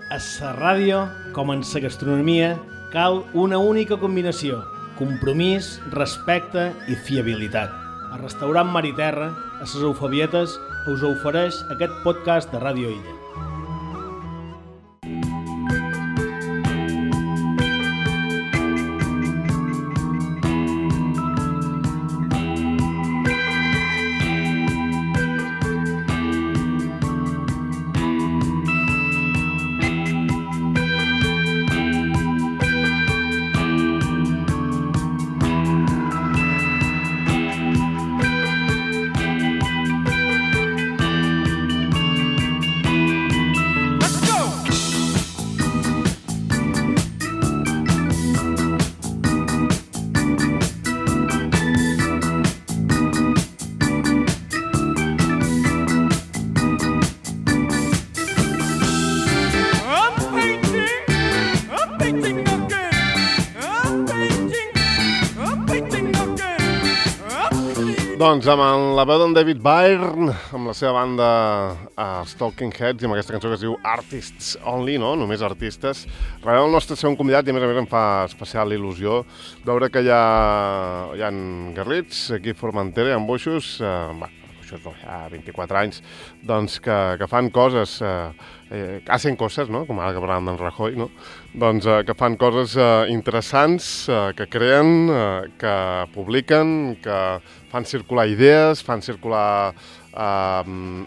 A la ràdio, com en la gastronomia, cal una única combinació: compromís, respecte i fiabilitat. El restaurant Mar i Terra, a les Eufabietes, us ofereix aquest podcast de Ràdio Illa. Doncs amb la veu d'en David Byrne, amb la seva banda els Talking Heads i amb aquesta cançó que es diu Artists Only, no? Només artistes. Realment el nostre segon convidat i a més em fa especial il·lusió veure que hi ha garrits aquí a Formentera, hi ha boixos, boixos no, hi ha 24 anys, doncs que fan coses, hacen coses, no? Com ara que parlàvem d'en Rajoy, no? Doncs que fan coses interessants, que creen, que publiquen, que fan circular idees, fan circular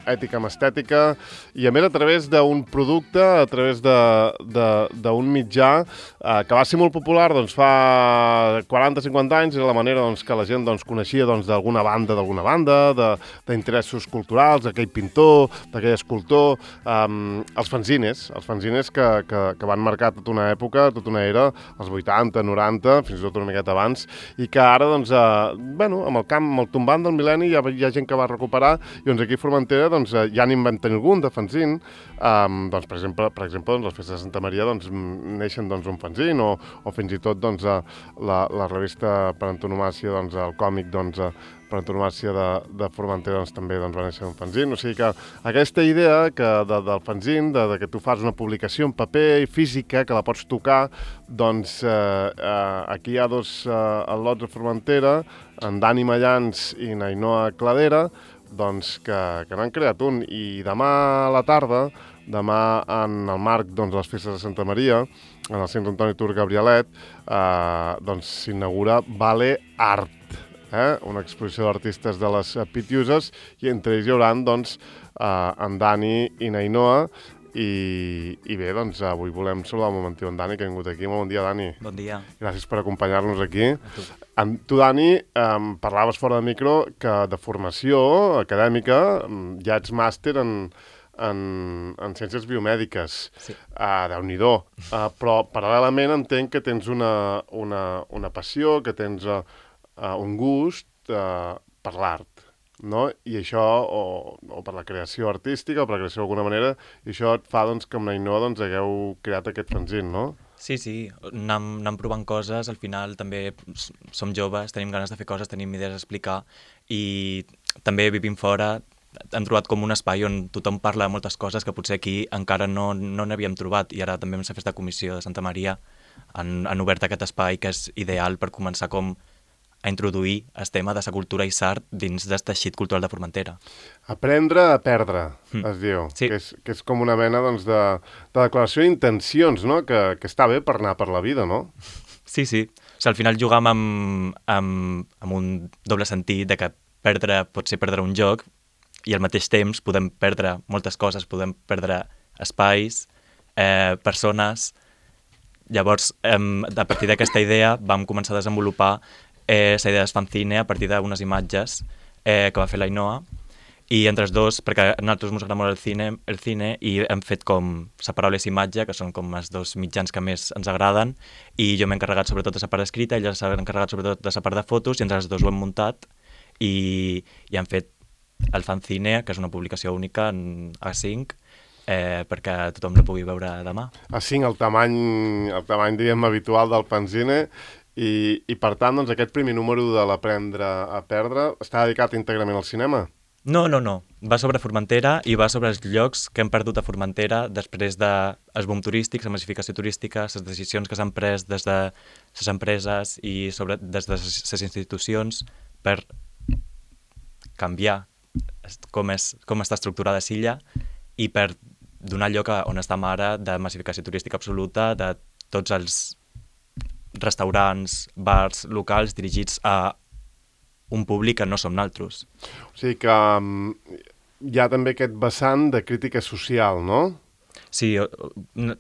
ètica amb estètica i a més a través d'un producte, a través d'un mitjà que va ser molt popular doncs, fa 40-50 anys, era la manera doncs, que la gent doncs, coneixia doncs, d'alguna banda, d'interessos culturals, d'aquell pintor, d'aquell escultor, els fanzines que van marcar tota una època, tota una era, els 80, 90, fins i tot una miqueta abans, i que ara, doncs, amb el tombant del mil·lenni hi ha gent que va recuperar. I doncs aquí a Formentera doncs, ja n'hi van tenir algun de fanzine, doncs, per exemple doncs, les festes de Santa Maria doncs, neixen doncs, un fanzine o fins i tot doncs, la revista per antonomàcia, doncs, el còmic doncs, per antonomàcia de Formentera doncs, també doncs, va néixer un fanzine. O sigui que aquesta idea del fanzine, que tu fas una publicació en paper física, que la pots tocar, doncs aquí hi ha dos al·lots a Formentera, en Dani Mallans i n'Ainoa Cladera, doncs que n'han creat un. I demà a la tarda, demà en el marc doncs, de les festes de Santa Maria, en el centre Antoni Tur Gabrielet, doncs s'inaugura Vale Art, una exposició d'artistes de les Pitiuses, i entre ells hi haurà doncs, en Dani i n'Ainoa. I bé, doncs avui volem saludar un momentiu en Dani, que ha vingut aquí. Molt bon dia, Dani. Bon dia. Gràcies per acompanyar-nos aquí. Tu, Dani, parlaves fora de micro que de formació acadèmica ja ets màster en ciències biomèdiques. Sí. Déu-n'hi-do. Però paral·lelament entenc que tens una passió, que tens un gust per l'art. No? I això, o per la creació artística, o per la creació d'alguna manera, i això et fa doncs, que amb n'Ainoa doncs, hagueu creat aquest fanzine, no? Sí, anem provant coses, al final també som joves, tenim ganes de fer coses, tenim idees a explicar, i també vivim fora, hem trobat com un espai on tothom parla de moltes coses que potser aquí encara no n'havíem trobat, i ara també amb la festa de comissió de Santa Maria han obert aquest espai que és ideal per començar com a introduir el tema de la cultura i l'art dins del teixit cultural de Formentera. Aprendre a perdre, es diu, sí. que és com una mena doncs, de declaració d'intencions, no? Que està bé per anar per la vida, no? Sí. O sigui, al final jugam amb un doble sentit de que perdre pot ser perdre un joc i al mateix temps podem perdre moltes coses, podem perdre espais, persones. Llavors, a partir d'aquesta idea vam començar a desenvolupar la idea del fanzine a partir d'unes imatges que va fer l'Ainoa, i entre els dos, perquè a nosaltres ens agrada molt el cine i hem fet com separar les imatges, que són com els dos mitjans que més ens agraden, i jo m'he encarregat sobretot de la part escrita, ella s'ha encarregat sobretot de la part de fotos, i entre els dos ho hem muntat i hem fet el fanzine, que és una publicació única en A5, perquè tothom la pugui veure demà. A5, el tamany diríem, habitual del fanzine. I per tant, doncs, aquest primer número de l'Aprendre a perdre està dedicat íntegrament al cinema? No. va sobre Formentera i va sobre els llocs que hem perdut a Formentera després dels boom turístics, la massificació turística, les decisions que s'han pres des de les empreses i des de les institucions per canviar com està estructurada l'illa i per donar lloc a on estem ara de massificació turística absoluta, de tots els restaurants, bars, locals dirigits a un públic que no som naltros. O sigui que hi ha també aquest vessant de crítica social, no? Sí,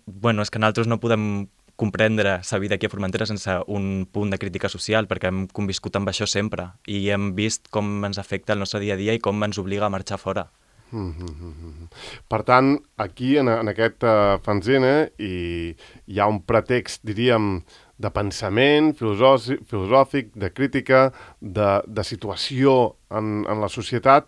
bueno, és que naltros no podem comprendre la vida aquí a Formentera sense un punt de crítica social, perquè hem conviscut amb això sempre i hem vist com ens afecta el nostre dia a dia i com ens obliga a marxar fora. Per tant, aquí en aquest fanzine hi ha un pretext, diríem, de pensament filosòfic, de crítica, de situació en la societat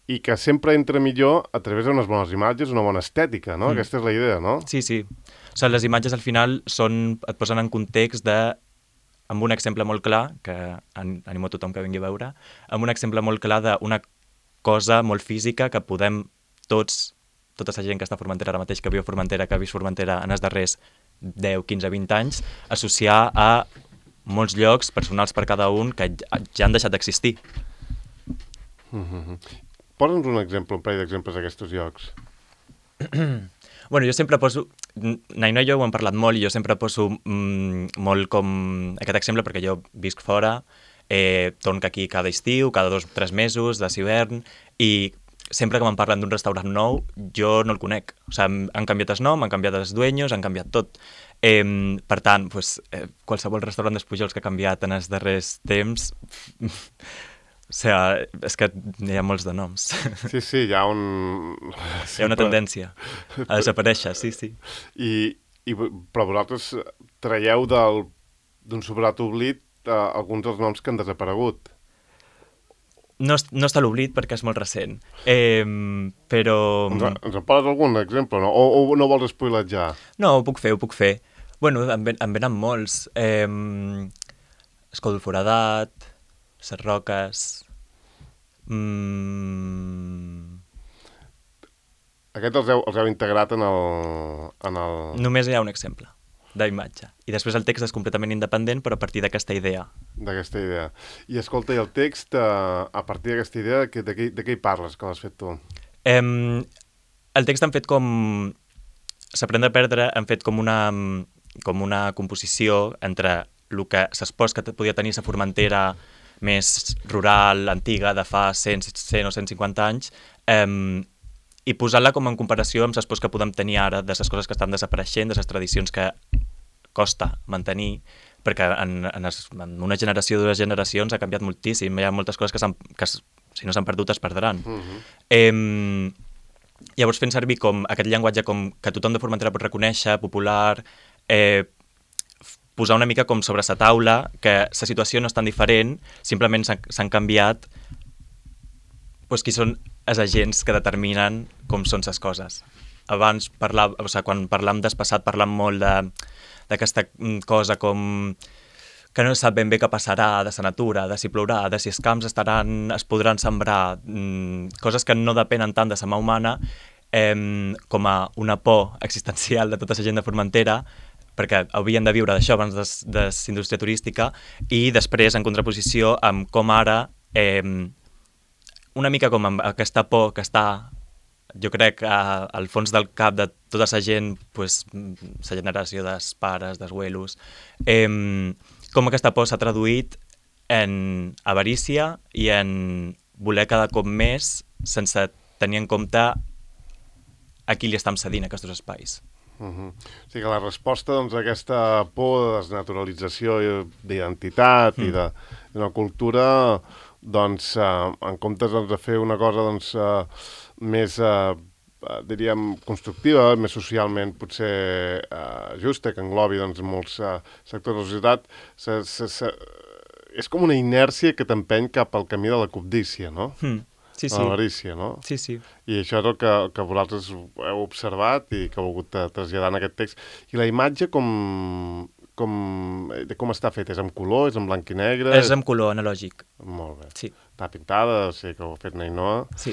i que sempre entra millor a través d'unes bones imatges, una bona estètica, no? Aquesta és la idea, no? Sí, sí. O sigui, les imatges al final et posen en context amb un exemple molt clar, que animo a tothom que vingui a veure, amb un exemple molt clar d'una cosa molt física que podem tota la gent que està a Formentera ara mateix, que viu a Formentera, que ha vist Formentera en els darrers 10, 15, 20 anys, associar a molts llocs personals per cada un que ja han deixat d'existir. Posa'ns un exemple, un parell d'exemples d'aquests llocs. Bueno, jo sempre poso... Naino i jo ho hem parlat molt i jo sempre poso molt com aquest exemple perquè jo visc fora, torno aquí cada estiu, cada 2 o 3 mesos, de hivern, i sempre que me'n parlen d'un restaurant nou, jo no el conec. O sigui, han canviat el nom, han canviat els dueños, han canviat tot. Per tant, qualsevol restaurant dels Pujols que ha canviat en els darrers temps... O sigui, és que hi ha molts de noms. Sí, sí, hi ha un... Hi ha una tendència a desaparèixer, sí, sí. Però vosaltres traieu d'un sobrat oblit alguns dels noms que han desaparegut. No està a l'oblit perquè és molt recent, però... Ens en poses algun exemple, no? O no vols spoiletjar? No, ho puc fer. Bueno, en venen molts. Escó del Foradat, Ses Roques... Aquest els heu integrat en el... Només hi ha un exemple d'imatge. I després el text és completament independent, però a partir d'aquesta idea. D'aquesta idea. I escolta, i el text, a partir d'aquesta idea, de què hi parles, que l'has fet tu? El text han fet com... S'aprèn a perdre, han fet com una composició entre el que s'espòs que podia tenir la Formentera més rural, antiga, de fa 100 o 150 anys, i posant-la com en comparació amb les pors que podem tenir ara, de les coses que estan desapareixent, de les tradicions que costa mantenir, perquè en una generació o 2 generacions ha canviat moltíssim, hi ha moltes coses que si no s'han perdut es perdran. Llavors fent servir com aquest llenguatge com que tothom de Formentera pot reconèixer, popular, posar una mica com sobre la taula que la situació no és tan diferent, simplement s'han canviat qui són els agents que determinen com són les coses. Abans, quan parlàvem del passat, parlàvem molt d'aquesta cosa com que no sap ben bé què passarà de la natura, de si plourà, de si els camps es podran sembrar, coses que no depenen tant de la mà humana, com a una por existencial de tota la gent de Formentera, perquè havien de viure d'això abans de la indústria turística, i després en contraposició amb com ara una mica com amb aquesta por que està, jo crec, al fons del cap de tota la gent, la generació dels pares, dels abuelos, com aquesta por s'ha traduït en avarícia i en voler cada cop més sense tenir en compte a qui li estem cedint aquests espais. O sigui que la resposta a aquesta por de desnaturalització d'identitat i d'una cultura, en comptes de fer una cosa més, diríem, constructiva, més socialment potser justa, que englobi molts sectors de la societat, és com una inèrcia que t'empeny cap al camí de la cobdícia, no? Sí, sí. L'avarícia, no? Sí, sí. I això és el que vosaltres heu observat i que heu volgut traslladar en aquest text. I la imatge com com està fet? És en color? És en blanc i negre? És en color analògic. Molt bé. Sí. Està pintada, sé que ho ha fet Nainoa. Sí.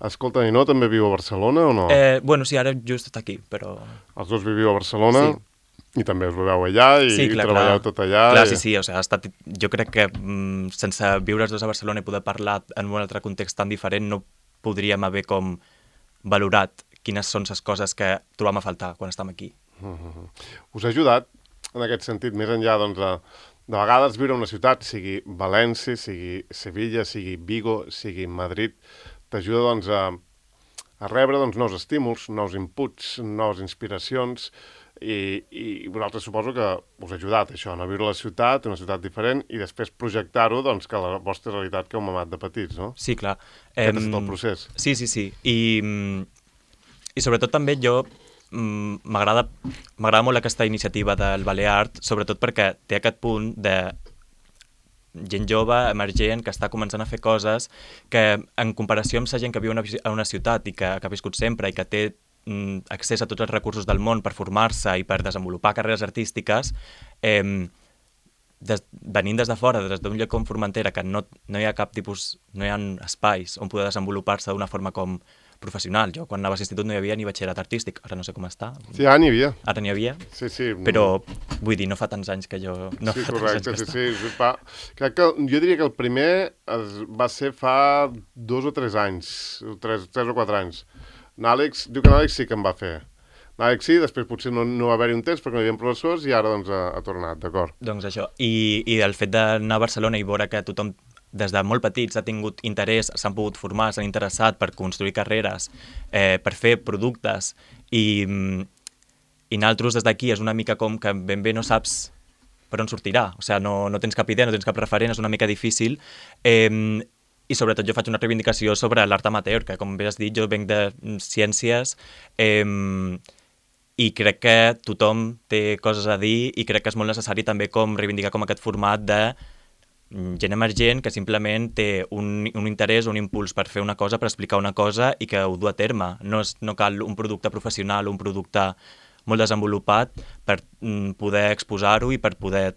Escolta, Nainoa també viu a Barcelona o no? Bueno, sí, ara just està aquí, però... Els dos viviu a Barcelona? Sí. I també us veieu allà i treballeu tot allà. Clar, sí, o sigui, ha estat, jo crec que sense viure els dos a Barcelona i poder parlar en un altre context tan diferent no podríem haver com valorat quines són les coses que trobam a faltar quan estem aquí. Us ha ajudat, en aquest sentit, més enllà doncs, de vegades viure en una ciutat, sigui València, sigui Sevilla, sigui Vigo, sigui Madrid, t'ajuda doncs, a rebre doncs, nous estímuls, nous inputs, noves inspiracions, i vosaltres suposo que us ha ajudat això, no? Viure a la ciutat, una ciutat diferent, i després projectar-ho doncs, que la vostra realitat que heu mamat de petits, no? Sí, clar. Aquest ha estat el procés. Sí. I sobretot també jo m'agrada molt aquesta iniciativa del Baleart, sobretot perquè té aquest punt de gent jove, emergent, que està començant a fer coses que en comparació amb la gent que viu a una ciutat i que ha viscut sempre i que té accés a tots els recursos del món per formar-se i per desenvolupar carreres artístiques, venint des de fora, des d'un lloc com Formentera, que no hi ha cap tipus, no hi ha espais on poder desenvolupar-se d'una forma com professional. Jo quan anava a l'institut no hi havia ni batxillerat artístic, ara no sé com està. Sí, ara n'hi havia. Ara n'hi havia, sí. Però vull dir, no fa tants anys que jo... No sí, fa correcte, tants anys sí. Crec que jo diria que el primer va ser fa 2 o 3 anys, 3 o 4 anys. Diu que l'Àlex sí que em va fer. L'Àlex sí, després potser no va haver-hi un temps perquè no hi havia professors i ara doncs ha tornat, d'acord. Doncs això, i el fet d'anar a Barcelona i veure que tothom des de molt petits ha tingut interès, s'han pogut formar, s'han interessat per construir carreres, per fer productes, i nosaltres des d'aquí és una mica com que ben bé no saps per on sortirà, o sigui, no tens cap idea, no tens cap referent, és una mica difícil, i sobretot jo faig una reivindicació sobre l'art amateur, que com bé has dit, jo venc de ciències, i crec que tothom té coses a dir i crec que és molt necessari també com reivindicar com aquest format de gent emergent que simplement té un interès, un impuls per fer una cosa, per explicar una cosa i que ho du a terme. No cal un producte professional, un producte molt desenvolupat per poder exposar-ho i per poder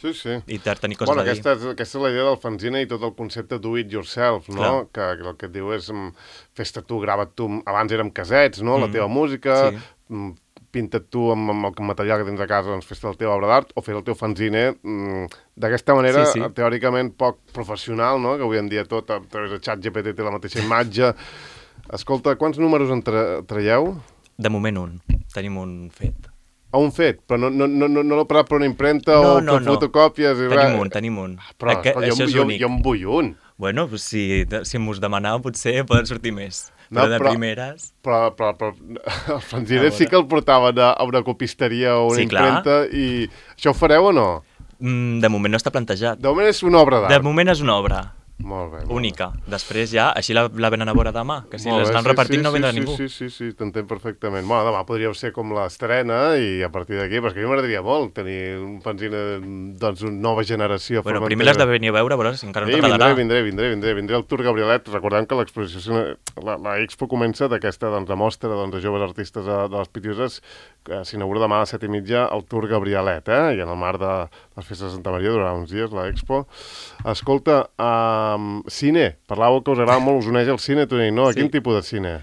i tenir coses a dir. Aquesta és la idea del fanzine i tot el concepte do it yourself, no? Que el que et diu és fes-te tu, grava't tu, abans érem casets, no? La teva música, pinta't tu amb el material que tens a casa, doncs fes-te la teva obra d'art o fes el teu fanzine d'aquesta manera, teòricament poc professional, no? Que avui en dia tot a través de ChatGPT té la mateixa imatge. Escolta, quants números en traieu? De moment un. Tenim un fet. Un fet, però no l'he parat per una impremta o per fotocòpies i res. Tenim un. Però això és únic. Jo en vull un. Bueno, si m'us demanau potser poden sortir més. Però de primeres... Però el fanzine sí que el portaven a una copisteria o una impremta i això ho fareu o no? De moment no està plantejat. De moment és una obra d'art. De moment és una obra. Molt bé. Única. Després ja, així la venen a veure demà, que si les anem repartint no vindrà ningú. Sí, t'entenc perfectament. Bueno, demà podríeu ser com l'estrena i a partir d'aquí, perquè a mi m'agradaria molt tenir un fanzine, doncs, una nova generació. Bueno, primer l'has de venir a veure, però si encara no t'agradarà. Vindré al Tour Gabrielet. Recordem que l'exposició, la Expo comença d'aquesta mostra de joves artistes de les Pitiuses, que s'inaugura demà a les 7:30 al Tour Gabrielet, i en el marc de les festes de Santa Maria durarà uns dies l'Expo. Escolta, cine, parlàveu que us agrada molt, us uneix el cine, tu, no? Quin tipus de cine?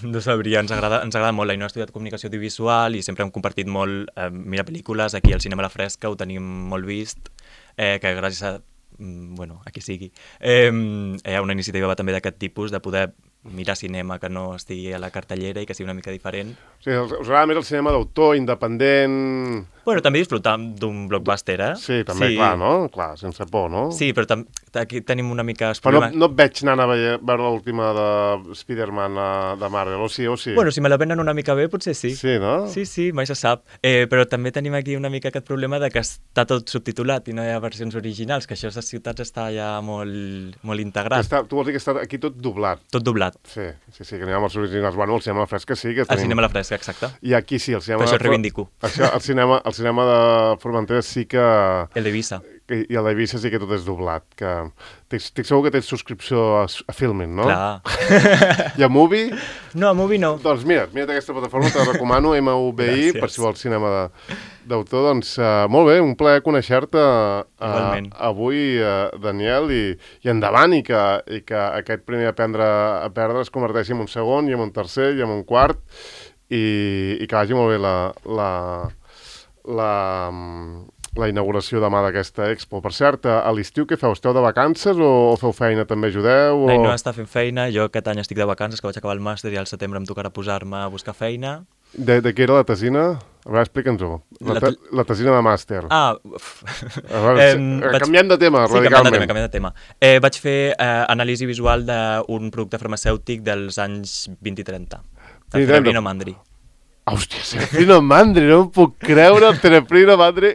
No sabria, ens agrada molt. L'Ainhoa ha estudiat comunicació audiovisual i sempre hem compartit molt mirar pel·lícules. Aquí al Cinema La Fresca ho tenim molt vist, que gràcies a qui sigui, hi ha una iniciativa també d'aquest tipus, de poder mirar cinema que no estigui a la cartellera i que sigui una mica diferent. O sigui, us agrada més el cinema d'autor, independent... Bueno, també disfrutar d'un blockbuster, Sí, també, clar, no? Clar, sense por, no? Sí, però aquí tenim una mica... Però no et veig anant a veure l'última de Spider-Man de Marvel, o sí? Bueno, si me la venen una mica bé, potser sí. Sí, no? Sí, mai se sap. Però també tenim aquí una mica aquest problema de que està tot subtitulat i no hi ha versions originals, que això a les ciutats està ja molt integrat. Tu vols dir que està aquí tot doblat? Tot doblat. Sí, que n'hi ha els originals. Bueno, el Cinema La Fresca sí que tenim... El Cinema La Fresca, exacte. I aquí sí, el cinema... Per això reivindico. El cinema de Formentera sí que... El d'Eivissa. I el d'Eivissa sí que tot és doblat. Que... Estic segur que tens subscripció a Filmin, no? Clar. I a Movie? No, a Movie no. Doncs mira't aquesta plataforma, te la recomano, MUBI, Gràcies. per si vols cinema d'autor. Doncs molt bé, un plaer conèixer-te avui, Daniel, i endavant, i que aquest primer Aprendre a perdre es converteixi en un segon, i en un tercer, i en un quart, i que vagi molt bé la inauguració demà d'aquesta expo. Per cert, a l'estiu què feu? Esteu de vacances o feu feina, també ajudeu? No està fent feina, jo aquest any estic de vacances, que vaig acabar el màster i al setembre em tocarà posar-me a buscar feina. De què era la tesina? A veure, explica'ns-ho. La tesina de màster. Canviem de tema, radicalment. Canviem de tema. Vaig fer anàlisi visual d'un producte farmacèutic dels anys 20 i 30. El Tenebrino Mandri. Hòstia, Tenebrino Mandri, no em puc creure el Tenebrino Mandri,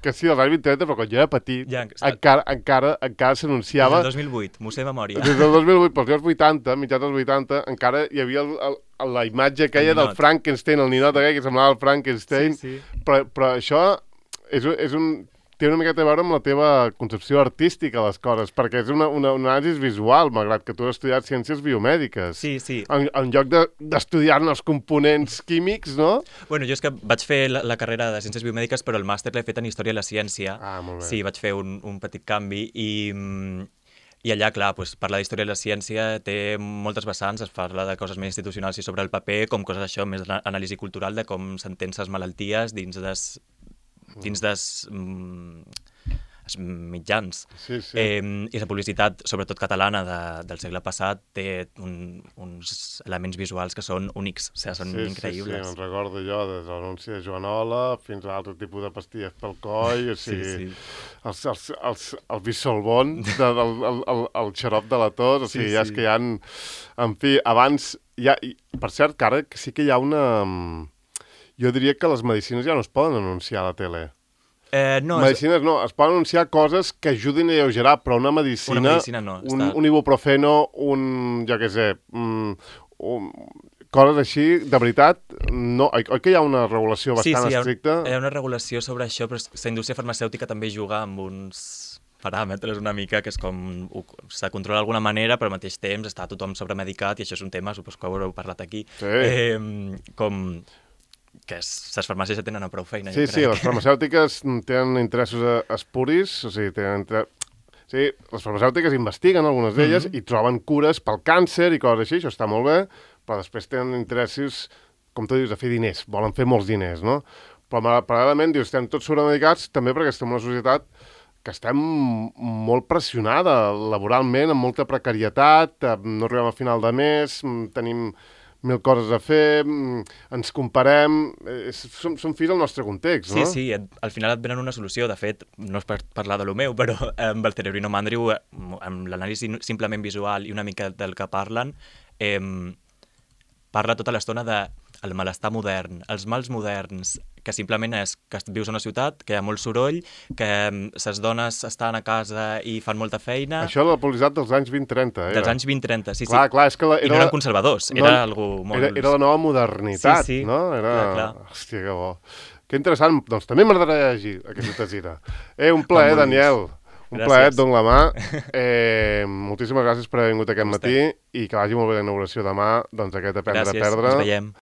que sí, dels anys 20 i 30, però quan jo era petit, encara s'anunciava... Des del 2008, m'ho sé de memòria. Des del 2008, pels anys 80, mitjans dels 80, encara hi havia la imatge aquella del Frankenstein, el ninot aquell que semblava el Frankenstein, però això té una miqueta a veure amb la teva concepció artística de les coses, perquè és una anàlisi visual, malgrat que tu has estudiat ciències biomèdiques. Sí. En lloc d'estudiar-ne els components químics, no? Bueno, jo és que vaig fer la carrera de ciències biomèdiques, però el màster l'he fet en història de la ciència. Molt bé. Sí, vaig fer un petit canvi i allà, clar, parlar d'història de la ciència té moltes vessants, es parla de coses més institucionals i sobre el paper, com coses això, més d'anàlisi cultural, de com s'entén les malalties dins dels mitjans. Sí. I la publicitat, sobretot catalana, del segle passat, té uns elements visuals que són únics, o sigui, són increïbles. Sí, me'n recordo jo, des de l'anunci de Joanola fins a altre tipus de pastilles pel coll, o sigui, el bisolbon, el xarop de la tos, o sigui, ja és que hi ha... En fi, abans... Per cert, que ara sí que hi ha una... Jo diria que les medicines ja no es poden anunciar a la tele. Medicines no, es poden anunciar coses que ajudin a alleugerar, però una medicina no. Un ibuprofeno, jo què sé, coses així, de veritat, no. Oi que hi ha una regulació bastant estricta? Sí, hi ha una regulació sobre això, però la indústria farmacèutica també juga amb uns paràmetres una mica, que és com s'ha de controlar d'alguna manera, però al mateix temps està tothom sobremedicat, i això és un tema, suposo que ho haureu parlat aquí, com... que les farmàcies ja tenen prou feina. Sí, les farmacèutiques tenen interessos espuris, o sigui, les farmacèutiques investiguen algunes d'elles i troben cures pel càncer i coses així, això està molt bé, però després tenen interessos, com tu dius, a fer diners, volen fer molts diners, no? Però paral·lelament, dius, estem tots sobremedicats també perquè estem en una societat que estem molt pressionada laboralment, amb molta precarietat, no arribem al final de mes, tenim 1000 coses a fer, ens comparem, són fills del nostre context, no? Sí, al final et venen una solució. De fet, no és per parlar de lo meu, però amb el Tenebrino Mandri, amb l'anàlisi simplement visual i una mica del que parlen, parla tota l'estona del malestar modern, els mals moderns, que simplement és que vius a una ciutat, que hi ha molt soroll, que les dones estan a casa i fan molta feina... Això era la publicitat dels anys 20-30, Dels anys 20-30, sí. Clar, és que I no eren conservadors, era algú molt... Era la nova modernitat, no? Clar. Hòstia, que bo. Que interessant, doncs també m'agradaria llegir aquesta tesina. Un plaer, Daniel. Un plaer, et dono la mà. Moltíssimes gràcies per haver vingut aquest matí i que vagi molt bé la inauguració demà, doncs aquest Aprendre a perdre. Gràcies, ens veiem.